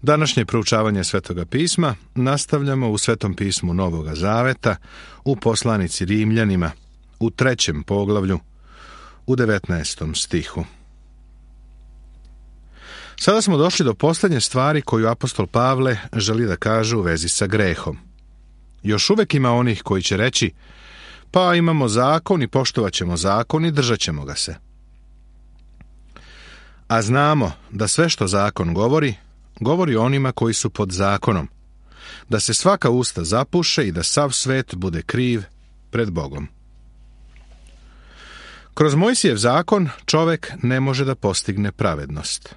Današnje proučavanje Svetoga pisma nastavljamo u Svetom pismu Novoga Zaveta, u poslanici Rimljanima, u 3. poglavlju, u 19. stihu. Sada smo došli do posljednje stvari koju apostol Pavle želi da kaže u vezi sa grehom. Još uvek ima onih koji će reći, pa imamo zakon i poštovat ćemo zakon i držat ćemo ga se. A znamo da sve što zakon govori onima koji su pod zakonom, da se svaka usta zapuše i da sav svet bude kriv pred Bogom. Kroz Mojsijev zakon čovek ne može da postigne pravednost.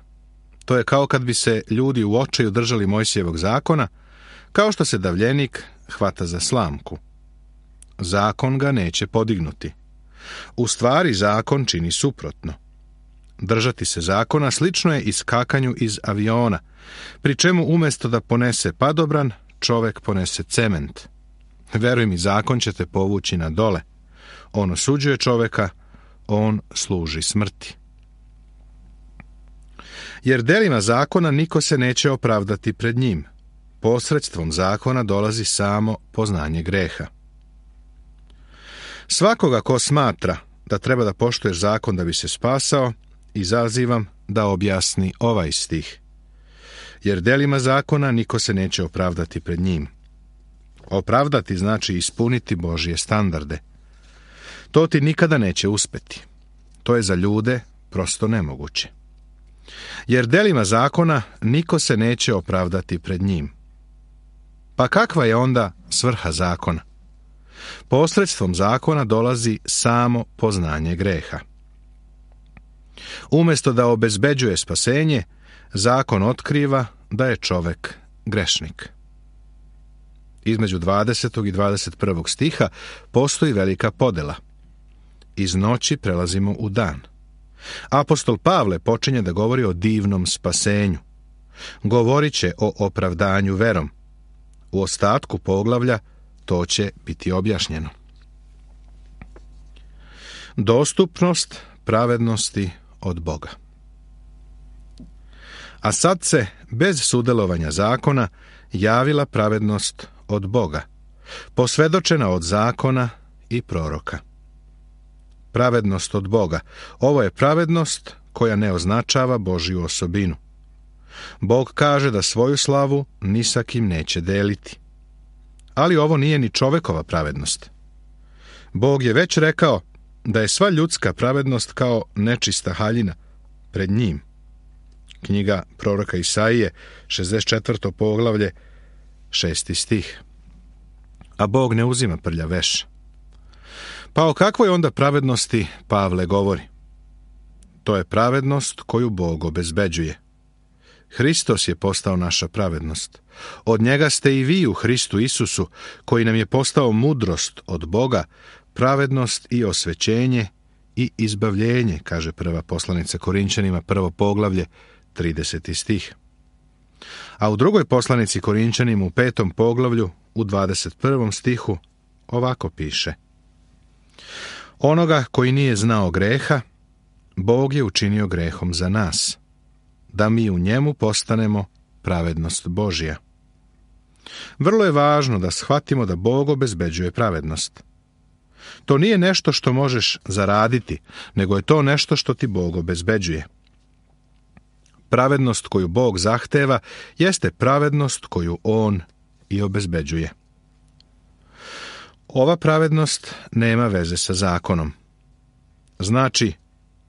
To je kao kad bi se ljudi u očaju držali Mojsijevog zakona, kao što se davljenik hvata za slamku. Zakon ga neće podignuti. U stvari zakon čini suprotno. Držati se zakona slično je iskakanju iz aviona, pri čemu umjesto da ponese padobran, čovek ponese cement. Veruj mi, zakon će te povući na dole. On osuđuje čoveka, on služi smrti. Jer delima zakona niko se neće opravdati pred njim. Posredstvom zakona dolazi samo poznanje greha. Svakoga ko smatra da treba da poštuješ zakon da bi se spasao, izazivam da objasni ovaj stih. Jer delima zakona niko se neće opravdati pred njim. Opravdati znači ispuniti Božje standarde. To ti nikada neće uspeti. To je za ljude prosto nemoguće. Jer delima zakona niko se neće opravdati pred njim. Pa kakva je onda svrha zakona? Posredstvom zakona dolazi samo poznanje greha. Umjesto da obezbeđuje spasenje, zakon otkriva da je čovek grešnik. Između 20. i 21. stiha postoji velika podela. Iz noći prelazimo u dan. Apostol Pavle počinje da govori o divnom spasenju. Govorit će o opravdanju verom. U ostatku poglavlja to će biti objašnjeno. Dostupnost pravednosti od Boga. A sad se, bez sudelovanja zakona, javila pravednost od Boga, posvedočena od zakona i proroka. Pravednost od Boga. Ovo je pravednost koja ne označava Božju osobinu. Bog kaže da svoju slavu ni sa kim neće deliti. Ali ovo nije ni čovekova pravednost. Bog je već rekao da je sva ljudska pravednost kao nečista haljina pred njim. Knjiga proroka Isaije, 64. poglavlje, 6. stih. A Bog ne uzima prljav veš. Pa o kakvoj onda pravednosti Pavle govori? To je pravednost koju Bog obezbeđuje. Hristos je postao naša pravednost. Od njega ste i vi u Hristu Isusu, koji nam je postao mudrost od Boga, pravednost i osvećenje i izbavljenje, kaže prva poslanica Korinčanima, 1. poglavlje, 30. stih. A u drugoj poslanici Korinčanima u 5. poglavlju, u 21. stihu, ovako piše: Onoga koji nije znao greha, Bog je učinio grehom za nas, da mi u njemu postanemo pravednost Božja. Vrlo je važno da shvatimo da Bog obezbeđuje pravednost. To nije nešto što možeš zaraditi, nego je to nešto što ti Bog obezbeđuje. Pravednost koju Bog zahteva jeste pravednost koju On i obezbeđuje. Ova pravednost nema veze sa zakonom. Znači,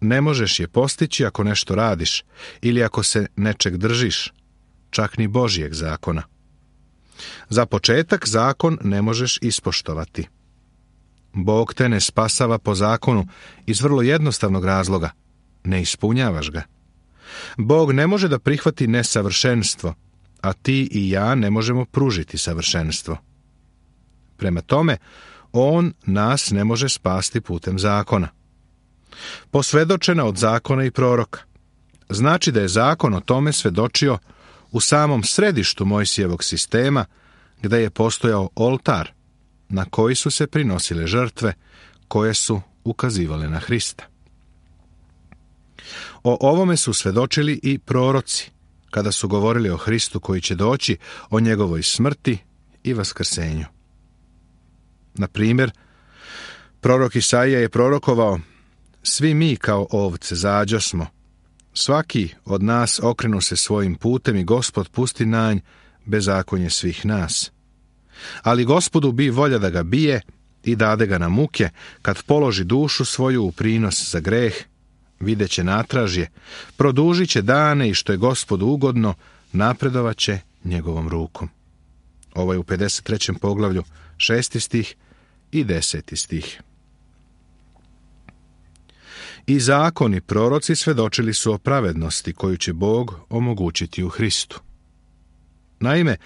ne možeš je postići ako nešto radiš ili ako se nečeg držiš, čak ni Božjeg zakona. Za početak zakon ne možeš ispoštovati. Bog te ne spasava po zakonu iz vrlo jednostavnog razloga. Ne ispunjavaš ga. Bog ne može da prihvati nesavršenstvo, a ti i ja ne možemo pružiti savršenstvo. Prema tome, On nas ne može spasti putem zakona. Posvedočena od zakona i proroka. Znači da je zakon o tome svedočio u samom središtu Mojsijevog sistema, gdje je postojao oltar na koji su se prinosile žrtve koje su ukazivale na Hrista. O ovome su svedočili i proroci, kada su govorili o Hristu koji će doći, o njegovoj smrti i vaskrsenju. Na primjer, prorok Isaija je prorokovao: svi mi kao ovce zađosmo, svaki od nas okrenu se svojim putem i Gospod pusti na nj bezakonje svih nas. Ali Gospodu bi volja da ga bije i dade ga na muke, kad položi dušu svoju u prinos za greh, videće natražje, produžit će dane i što je Gospodu ugodno, napredovat će njegovom rukom. Ovo je u 53. poglavlju 6. stih i 10. stih. I zakon i proroci svedočili su o pravednosti koju će Bog omogućiti u Hristu. Naime,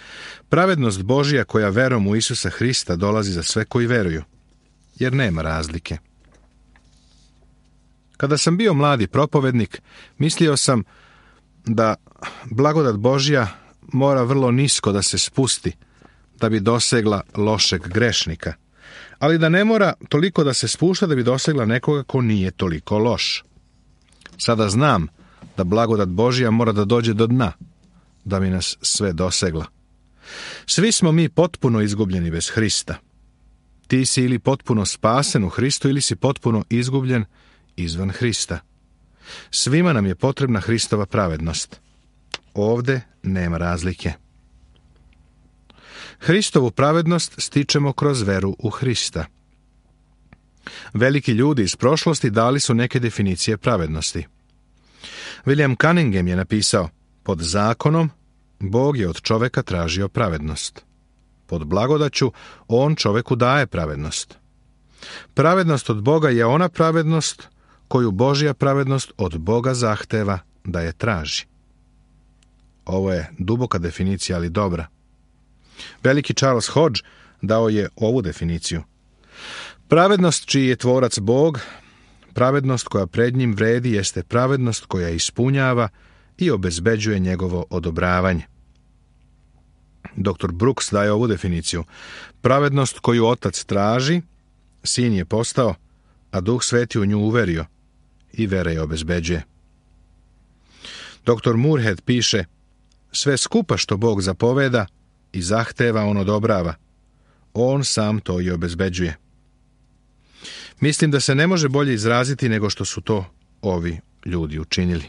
pravednost Božja koja verom u Isusa Hrista dolazi za sve koji veruju, jer nema razlike. Kada sam bio mladi propovednik, mislio sam da blagodat Božja mora vrlo nisko da se spusti, da bi dosegla lošeg grešnika, ali da ne mora toliko da se spušta da bi dosegla nekoga ko nije toliko loš. Sada znam da blagodat Božja mora da dođe do dna, da bi nas sve dosegla. Svi smo mi potpuno izgubljeni bez Hrista. Ti si ili potpuno spasen u Hristu ili si potpuno izgubljen izvan Hrista. Svima nam je potrebna Hristova pravednost. Ovde nema razlike. Hristovu pravednost stičemo kroz veru u Hrista. Veliki ljudi iz prošlosti dali su neke definicije pravednosti. William Cunningham je napisao: pod zakonom Bog je od čoveka tražio pravednost. Pod blagodaću on čoveku daje pravednost. Pravednost od Boga je ona pravednost koju Božja pravednost od Boga zahteva da je traži. Ovo je duboka definicija, ali dobra. Veliki Charles Hodge dao je ovu definiciju: pravednost čiji je tvorac Bog, pravednost koja pred njim vredi, jeste pravednost koja ispunjava i obezbeđuje njegovo odobravanje. Dr. Brooks daje ovu definiciju: pravednost koju Otac traži, Sin je postao, a Duh Sveti u nju uverio i vera je obezbeđuje. Dr. Moorhead piše: sve skupa što Bog zapoveda i zahteva, on odobrava. On sam to i obezbeđuje. Mislim da se ne može bolje izraziti nego što su to ovi ljudi učinili.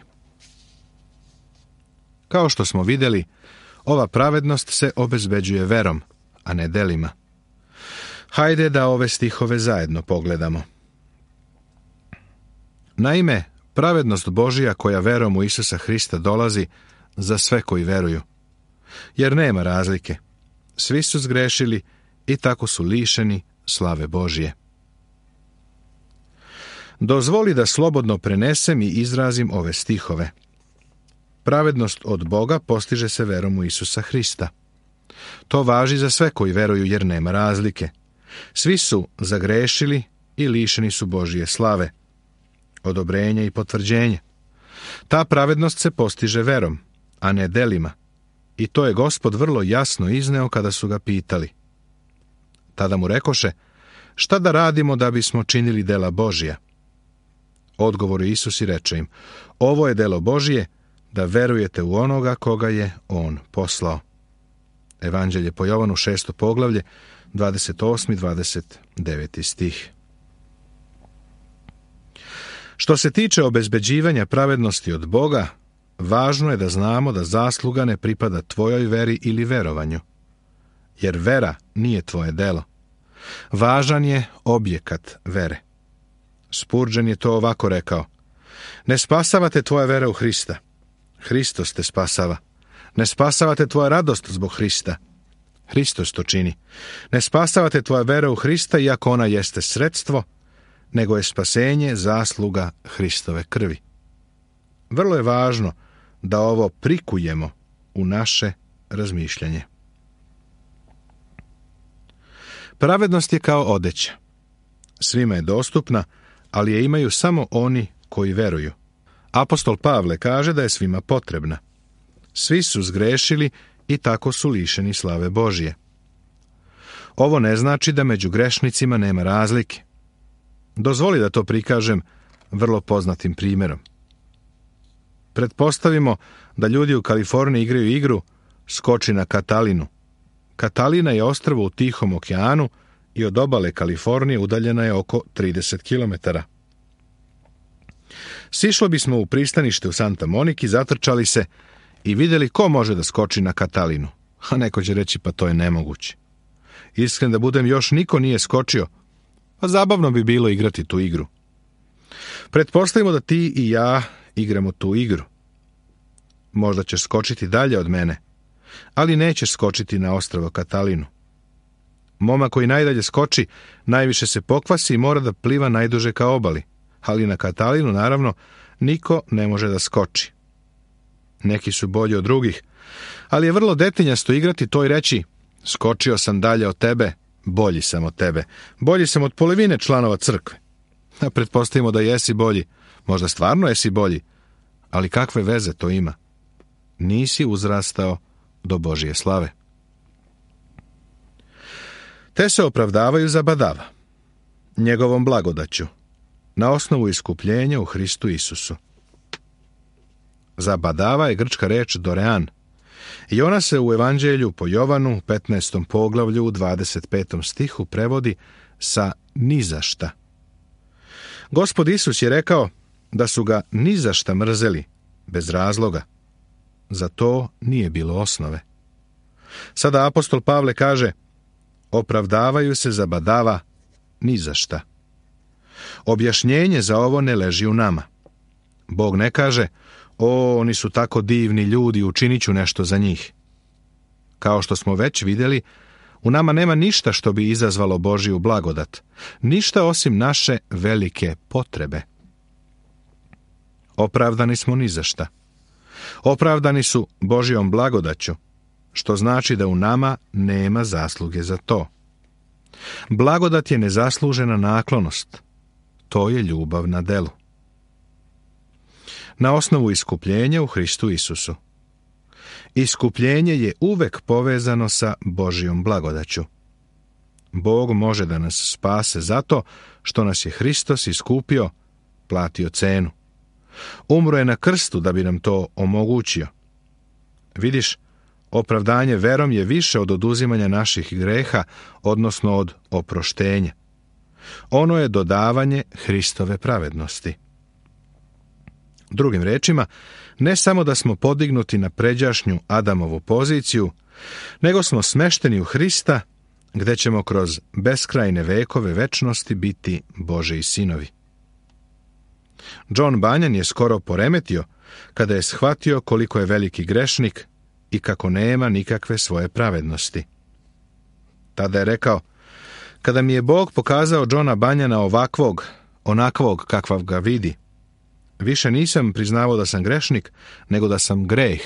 Kao što smo vidjeli, ova pravednost se obezbeđuje verom, a ne delima. Hajde da ove stihove zajedno pogledamo. Naime, pravednost Božja koja verom u Isusa Hrista dolazi za sve koji veruju, jer nema razlike. Svi su zgrešili i tako su lišeni slave Božje. Dozvoli da slobodno prenesem i izrazim ove stihove. Pravednost od Boga postiže se verom u Isusa Hrista. To važi za sve koji veruju, jer nema razlike. Svi su zagrešili i lišeni su Božje slave, odobrenja i potvrđenja. Ta pravednost se postiže verom, a ne delima. I to je Gospod vrlo jasno izneo kada su ga pitali. Tada mu rekoše: šta da radimo da bismo činili dela Božja? Odgovor Isus i reče im: ovo je delo Božje, da verujete u onoga koga je on poslao. Evanđelje po Jovanu 6. poglavlje 28. 29. stih. Što se tiče obezbeđivanja pravednosti od Boga, važno je da znamo da zasluga ne pripada tvojoj veri ili verovanju, jer vera nije tvoje delo. Važan je objekat vere. Spurgeon je to ovako rekao: ne spasavate tvoja vera u Hrista, Hristos te spasava. Ne spasavate tvoja radost zbog Hrista, Hristos to čini. Ne spasavate tvoja vera u Hrista, iako ona jeste sredstvo, nego je spasenje zasluga Hristove krvi. Vrlo je važno da ovo prikujemo u naše razmišljanje. Pravednost je kao odeća. Svima je dostupna, ali je imaju samo oni koji veruju. Apostol Pavle kaže da je svima potrebna. Svi su zgrešili i tako su lišeni slave Božje. Ovo ne znači da među grešnicima nema razlike. Dozvoli da to prikažem vrlo poznatim primjerom. Pretpostavimo da ljudi u Kaliforniji igraju igru skoči na Katalinu. Katalina je ostrvo u Tihom okeanu i od obale Kalifornije udaljena je oko 30 km. Sišlo bismo u pristanište u Santa Moniki, zatrčali se i vidjeli ko može da skoči na Katalinu. A neko će reći, pa to je nemoguće. Iskren da budem, još niko nije skočio, a zabavno bi bilo igrati tu igru. Pretpostavimo da ti i ja igramo tu igru. Možda ćeš skočiti dalje od mene, ali nećeš skočiti na ostrvo Katalinu. Momak koji najdalje skoči, najviše se pokvasi i mora da pliva najduže ka obali, ali na Katalinu, naravno, niko ne može da skoči. Neki su bolji od drugih, ali je vrlo detinjasto igrati to i reći, skočio sam dalje od tebe, bolji sam od tebe, bolji sam od polovine članova crkve. A pretpostavimo da jesi bolji, možda stvarno jesi bolji, ali kakve veze to ima? Nisi uzrastao do Božje slave. Te se opravdavaju za badava, njegovom blagodaću, na osnovu iskupljenja u Hristu Isusu. Za badava je grčka reč dorean, i ona se u Evanđelju po Jovanu, u 15. poglavlju, u 25. stihu prevodi sa nizašta. Gospod Isus je rekao da su ga nizašta mrzeli, bez razloga. Za to nije bilo osnove. Sada apostol Pavle kaže, opravdavaju se za badava nizašta. Objašnjenje za ovo ne leži u nama. Bog ne kaže, oni su tako divni ljudi, učinit ću nešto za njih. Kao što smo već vidjeli, u nama nema ništa što bi izazvalo Božju blagodat, ništa osim naše velike potrebe. Opravdani smo ni za šta. Opravdani su Božjom blagodaću, što znači da u nama nema zasluge za to. Blagodat je nezaslužena naklonost. To je ljubav na delu. Na osnovu iskupljenja u Hristu Isusu. Iskupljenje je uvek povezano sa Božjom blagodaću. Bog može da nas spase zato što nas je Hristos iskupio, platio cenu. Umro je na krstu da bi nam to omogućio. Vidiš, opravdanje verom je više od oduzimanja naših greha, odnosno od oproštenja. Ono je dodavanje Hristove pravednosti. Drugim rečima, ne samo da smo podignuti na pređašnju Adamovu poziciju, nego smo smešteni u Hrista, gde ćemo kroz beskrajne vekove večnosti biti Božji sinovi. John Bunyan je skoro poremetio kada je shvatio koliko je veliki grešnik i kako nema nikakve svoje pravednosti. Tada je rekao, kada mi je Bog pokazao Johna Bunyana ovakvog, onakvog kakvav ga vidi, više nisam priznavao da sam grešnik, nego da sam greh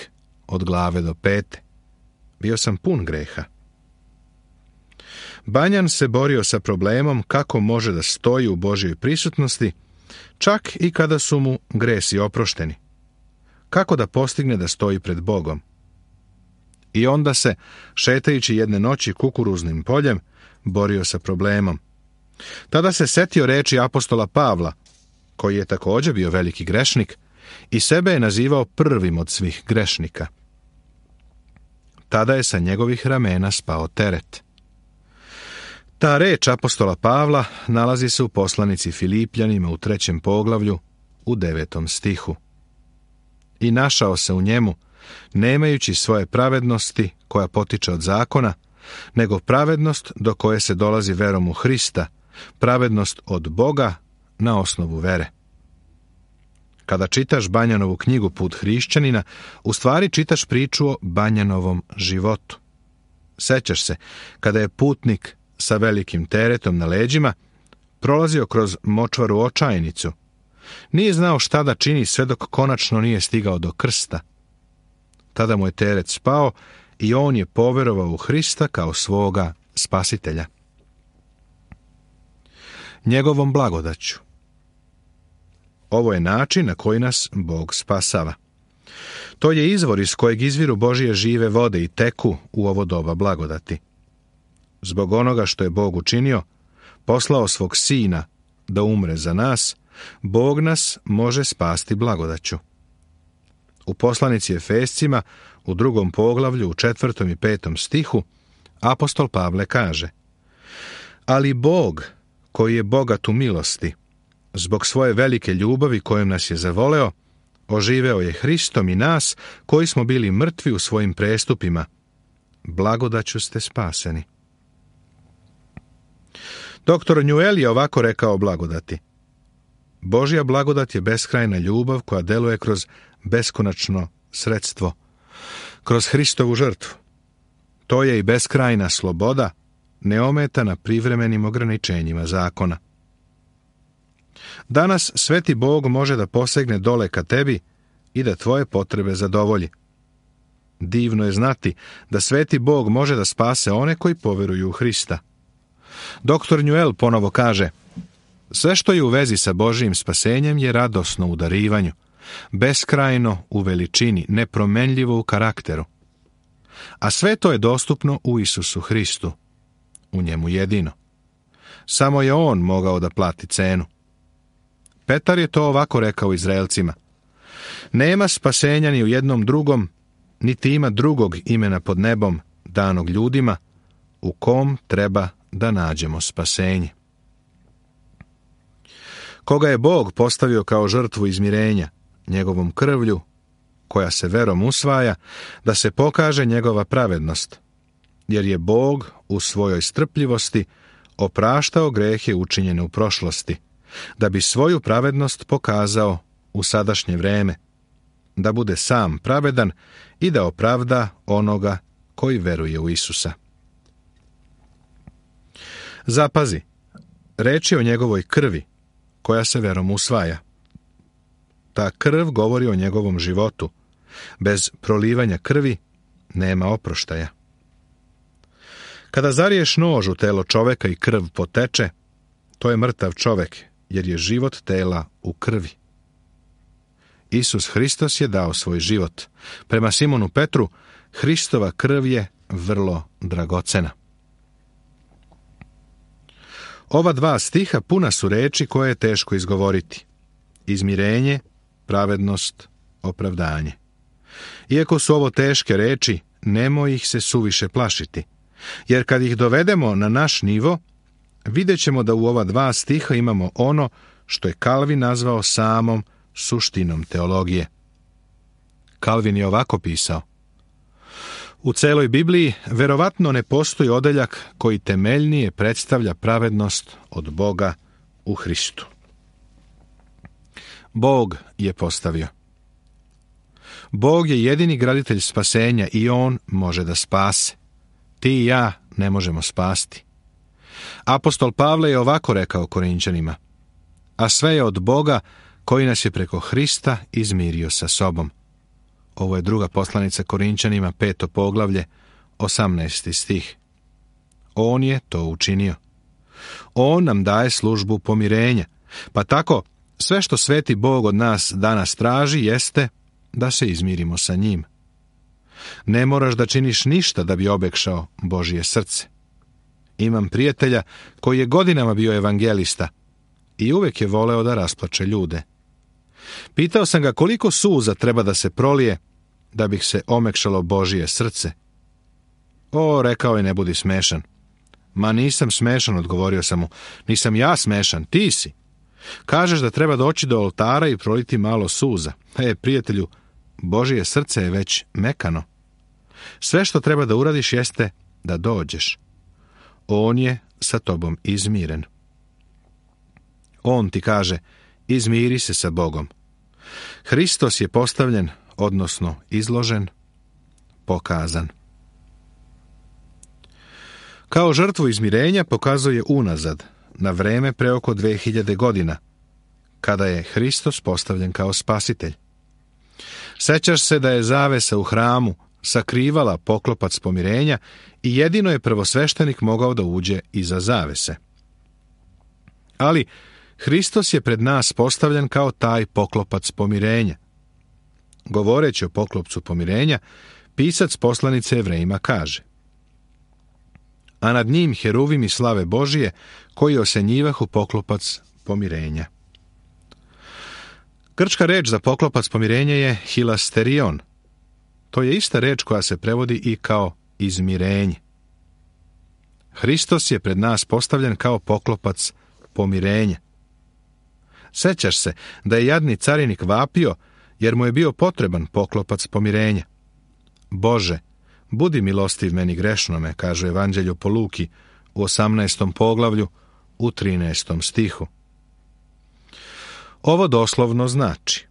od glave do pete. Bio sam pun greha. Bunyan se borio sa problemom kako može da stoji u Božjoj prisutnosti, čak i kada su mu gresi oprošteni. Kako da postigne da stoji pred Bogom? I onda se, šetajući jedne noći kukuruznim poljem, borio sa problemom. Tada se setio reči apostola Pavla, koji je također bio veliki grešnik, i sebe je nazivao prvim od svih grešnika. Tada je sa njegovih ramena spao teret. Ta reč apostola Pavla nalazi se u poslanici Filipljanima u 3. poglavlju, u 9. stihu. I našao se u njemu, nemajući svoje pravednosti koja potiče od zakona, nego pravednost do koje se dolazi verom u Hrista, pravednost od Boga na osnovu vere. Kada čitaš Bunjanovu knjigu Put hrišćanina, u stvari čitaš priču o Bunjanovom životu. Sećaš se, kada je putnik sa velikim teretom na leđima prolazio kroz močvaru očajnicu. Nije znao šta da čini sve dok konačno nije stigao do krsta. Tada mu je teret spao i on je poverovao u Hrista kao svoga spasitelja. Njegovom blagodaću. Ovo je način na koji nas Bog spasava. To je izvor iz kojeg izviru Božje žive vode i teku u ovo doba blagodati. Zbog onoga što je Bog učinio, poslao svog Sina da umre za nas, Bog nas može spasti blagodaću. U poslanici Efescima, u 2. poglavlju, u 4. i 5. stihu, apostol Pavle kaže: Ali Bog, koji je bogat u milosti, zbog svoje velike ljubavi kojom nas je zavoleo, oživeo je Hristom i nas, koji smo bili mrtvi u svojim prestupima. Blagodaću ste spaseni. Dr. Newell je ovako rekao o blagodati: Božja blagodat je beskrajna ljubav koja deluje kroz beskonačno sredstvo, kroz Hristovu žrtvu. To je i beskrajna sloboda, neometana privremenim ograničenjima zakona. Danas sveti Bog može da posegne dole ka tebi i da tvoje potrebe zadovolji. Divno je znati da sveti Bog može da spase one koji poveruju u Hrista. Dr. Newell ponovo kaže: Sve što je u vezi sa Božijim spasenjem je radosno u darivanju, beskrajno u veličini, nepromenljivo u karakteru. A sve to je dostupno u Isusu Hristu, u njemu jedino. Samo je on mogao da plati cenu. Petar je to ovako rekao Izraelcima: Nema spasenja ni u jednom drugom, niti ima drugog imena pod nebom, danog ljudima, u kom treba da nađemo spasenje. Koga je Bog postavio kao žrtvu izmirenja, njegovom krvlju, koja se verom usvaja, da se pokaže njegova pravednost, jer je Bog u svojoj strpljivosti opraštao grehe učinjene u prošlosti, da bi svoju pravednost pokazao u sadašnje vreme, da bude sam pravedan i da opravda onoga koji veruje u Isusa. Zapazi, reč je o njegovoj krvi, koja se verom usvaja. Ta krv govori o njegovom životu. Bez prolivanja krvi nema oproštaja. Kada zariješ nož u telo čoveka i krv poteče, to je mrtav čovek, jer je život tela u krvi. Isus Hristos je dao svoj život. Prema Simonu Petru, Hristova krv je vrlo dragocena. Ova 2 stiha puna su reči koje je teško izgovoriti: izmirenje, pravednost, opravdanje. Iako su ovo teške reči, nemoj ih se suviše plašiti, jer kad ih dovedemo na naš nivo, vidjet ćemo da u ova 2 stiha imamo ono što je Kalvin nazvao samom suštinom teologije. Kalvin je ovako pisao: U celoj Bibliji verovatno ne postoji odeljak koji temeljnije predstavlja pravednost od Boga u Hristu. Bog je postavio. Bog je jedini graditelj spasenja i on može da spase. Ti i ja ne možemo spasti. Apostol Pavle je ovako rekao Korinćanima: A sve je od Boga koji nas je preko Hrista izmirio sa sobom. Ovo je 2. poslanica Korinćanima, 5. poglavlje, 18. stih. On je to učinio. On nam daje službu pomirenja, pa tako sve što sveti Bog od nas danas traži jeste da se izmirimo sa njim. Ne moraš da činiš ništa da bi obekšao Božje srce. Imam prijatelja koji je godinama bio evangelista i uvek je voleo da rasplače ljude. Pitao sam ga koliko suza treba da se prolije da bih se omekšalo Božje srce. O, rekao je, ne budi smešan. Ma nisam smešan, odgovorio sam mu. Nisam ja smešan, ti si. Kažeš da treba doći do oltara i proliti malo suza. Prijatelju, Božje srce je već mekano. Sve što treba da uradiš jeste da dođeš. On je sa tobom izmiren. On ti kaže: izmiri se sa Bogom. Hristos je postavljen, odnosno izložen, pokazan. Kao žrtvu izmirenja pokazuje unazad, na vreme pre oko 2000 godina, kada je Hristos postavljen kao spasitelj. Sećaš se da je zavesa u hramu sakrivala poklopac pomirenja i jedino je prvosveštenik mogao da uđe iza zavese. Ali Hristos je pred nas postavljen kao taj poklopac pomirenja. Govoreći o poklopcu pomirenja, pisac poslanice Jevrejima kaže: A nad njim heruvimi slave Božije, koji osenjivahu poklopac pomirenja. Grčka reč za poklopac pomirenja je hilasterion. To je ista reč koja se prevodi i kao izmirenje. Hristos je pred nas postavljen kao poklopac pomirenja. Sećaš se da je jadni carinik vapio jer mu je bio potreban poklopac pomirenja. Bože, budi milostiv meni grešnome, kaže Evanđelju po Luki u 18. poglavlju u 13. stihu. Ovo doslovno znači: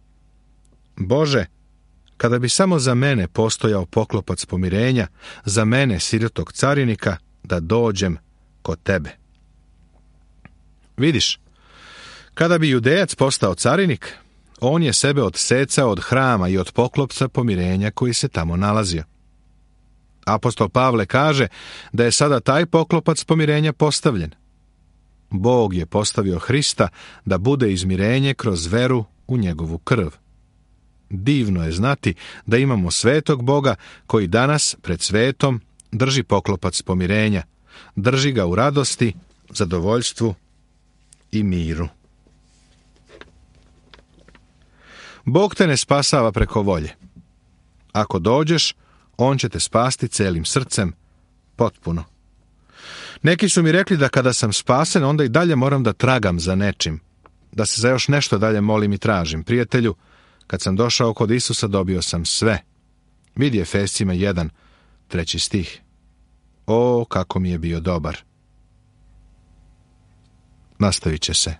Bože, kada bi samo za mene postojao poklopac pomirenja, za mene, sirotog carinika, da dođem kod tebe. Vidiš, kada bi Judejac postao carinik, on je sebe odsecao od hrama i od poklopca pomirenja koji se tamo nalazio. Apostol Pavle kaže da je sada taj poklopac pomirenja postavljen. Bog je postavio Hrista da bude izmirenje kroz veru u njegovu krv. Divno je znati da imamo svetog Boga koji danas pred svetom drži poklopac pomirenja, drži ga u radosti, zadovoljstvu i miru. Bog te ne spasava preko volje. Ako dođeš, on će te spasti celim srcem, potpuno. Neki su mi rekli da kada sam spasen, onda i dalje moram da tragam za nečim, da se za još nešto dalje molim i tražim. Prijatelju, kad sam došao kod Isusa, dobio sam sve. Vidi Efescima 1, 3. stih. O, kako mi je bio dobar. Nastavit će se.